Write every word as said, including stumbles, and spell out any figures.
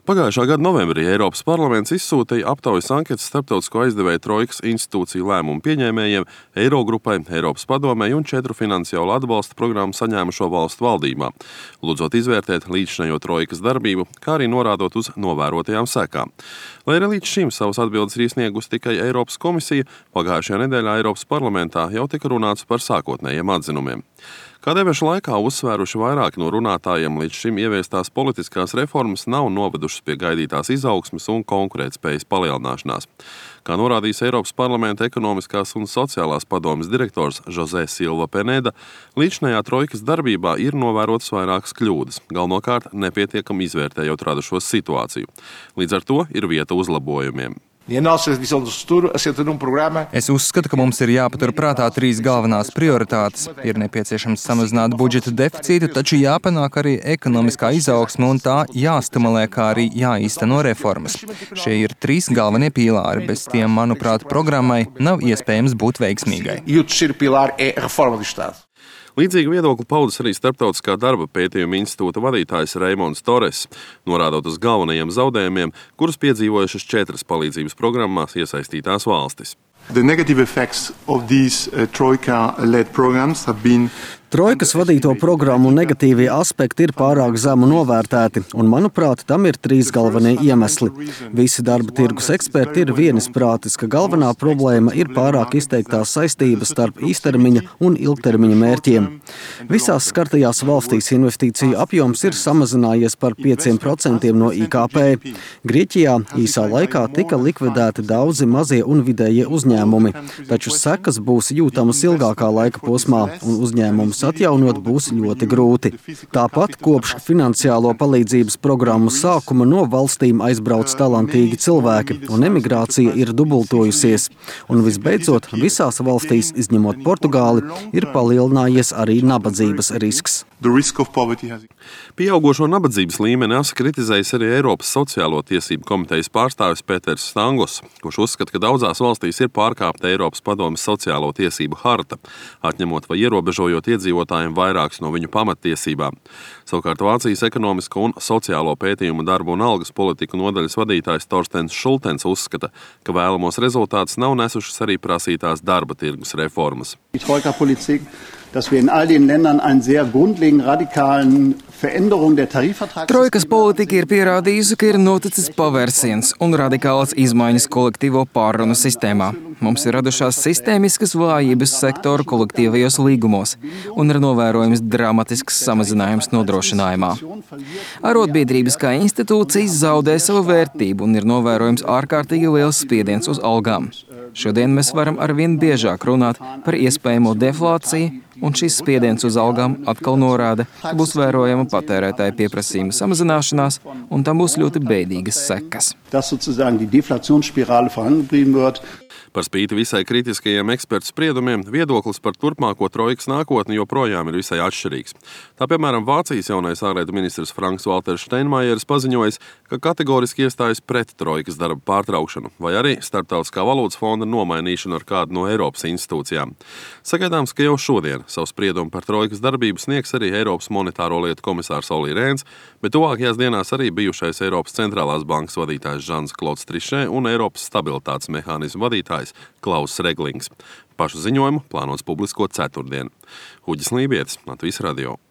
Pagājušā gada novembrī Eiropas parlaments izsūtīja aptaujas anketas starptautisko aizdevēju trojkas institūciju lēmumu pieņēmējiem, Eirogrupai, Eiropas padomei un četru finansiālu atbalsta programmu saņēmušo valstu valdībām, lūdzot izvērtēt līdzšinējo trojkas darbību, kā arī norādot uz novērotajām sekām. Lai arī līdz šim savas atbildes ir izsniegusi tikai Eiropas komisija, pagājušajā nedēļā Eiropas parlamentā jau tika runāts par sākotnējiem atzinumiem. Kā debašu laikā uzsvēruši vairāki no runātājiem, līdz šim ieviestās politiskās reformas nav novedušas pie gaidītās izaugsmes un konkurētspējas palielināšanās. Kā norādījis Eiropas parlamenta ekonomiskās un sociālās padomes direktors José Silva Peneda, līdzinājā trojkas darbībā ir novērotas vairākas kļūdas, galvenokārt nepietiekami izvērtējot radušos situāciju. Līdz ar to ir vieta uzlabojumiem. Es uzskatu, ka mums ir jāpatur prātā trīs galvenās prioritātes. Ir nepieciešams samazināt budžeta deficītu, taču jāpanāk arī ekonomiskā izaugsme un tā jāstimulē, kā arī jāīsteno reformas. Šie ir trīs galvenie pīlāri. Bez tiem, manuprāt, programmai nav iespējams būt veiksmīgai. Līdzīgu viedokli paudis arī Starptautiskā darba pētījuma institūta vadītājs Reimonds Torres, norādot uz galvenajiem zaudējumiem, kurus piedzīvojušas četras palīdzības programmās iesaistītās valstis. The negative effects of these uh, Troika-led programs have been Trojkas vadīto programmu negatīvie aspekti ir pārāk zemu novērtēti, un, manuprāt, tam ir trīs galvenie iemesli. Visi darba tirgus eksperti ir vienisprātis, ka galvenā problēma ir pārāk izteiktās saistības starp īstermiņa un ilgtermiņa mērķiem. Visās skartajās valstīs investīciju apjoms ir samazinājies par pieciem procentiem no I K P. Grieķijā īsā laikā tika likvidēti daudzi mazie un vidējie uzņēmumi, taču sekas būs jūtamas ilgākā laika posmā, un uzņēmumus atjaunot būs ļoti grūti. Tāpat kopš finansiālo palīdzības programmu sākuma no valstīm aizbrauc talantīgi cilvēki, un emigrācija ir dubultojusies. Un visbeidzot, visās valstīs, izņemot Portugāli, ir palielinājies arī nabadzības risks. Pieaugošo nabadzības līmeni asa kritizējis arī Eiropas sociālo tiesību komitejas pārstāvis Pēters Stangos, kurš uzskata, ka daudzās valstīs ir pārkāpta Eiropas padomes sociālo tiesību harta, atņemot vai ierobežojot iedzīvotājiem vairākas no viņu pamattiesībām. Savukārt Vācijas ekonomisko un sociālo pētījumu darbu un algas politiku nodaļas vadītājs Torstens Šultens uzskata, ka vēlamos rezultātus nav nesušas arī prasītās darba tirgus reformas. dass wir in all den Ländern einen sehr grundlegend radikalen Veränderung der Tarifvertrags... Trojkas politika ir pierādījusi, ka ir noticis pavērsiens un radikālas izmaiņas kolektīvo pārrunu sistēmā. Mums ir radušās sistēmiskas vājības sektoru kolektīvajos līgumos un ir novērojams dramatisks samazinājums nodrošinājumā. Arotbiedrības kā institūcijas zaudē savu vērtību un ir novērojams ārkārtīgi liels spiediens uz algām. Šodien mēs varam arvien biežāk runāt par iespējamo deflāciju, un šis spiediens uz algām atkal norāda, ka būs vērojama patērētāja pieprasījuma samazināšanās, un tam būs ļoti bēdīgas sekas. Par spīti visai kritiskajiem ekspertu spriedumiem, viedoklis par turpmāko trojkas nākotni joprojām ir visai atšķirīgs. Tā, piemēram, Vācijas jaunais ārlietu ministrs Franks Walters Steinmeieris paziņojis, ka kategoriski iestājas pret trojkas darba pārtraukšanu vai arī Starptautiskā valūtas fonda nomainīšanu ar kādu no Eiropas institūcijām. Sagaidāms, ka jau šodien savu spriedumu par trojkas darbību sniegs arī Eiropas monetāro lietu komisārs Olli Rēns, bet tuvākajās dienās arī bijušais Eiropas centrālās bankas vadītājs Žans Klods Trišē un Eiropas stabilitātes mehānismu vadītājs Klauss Reglings. Pašu ziņojumu plānots publiskot ceturtdien. Huģis Lībietis, Latvijas radio.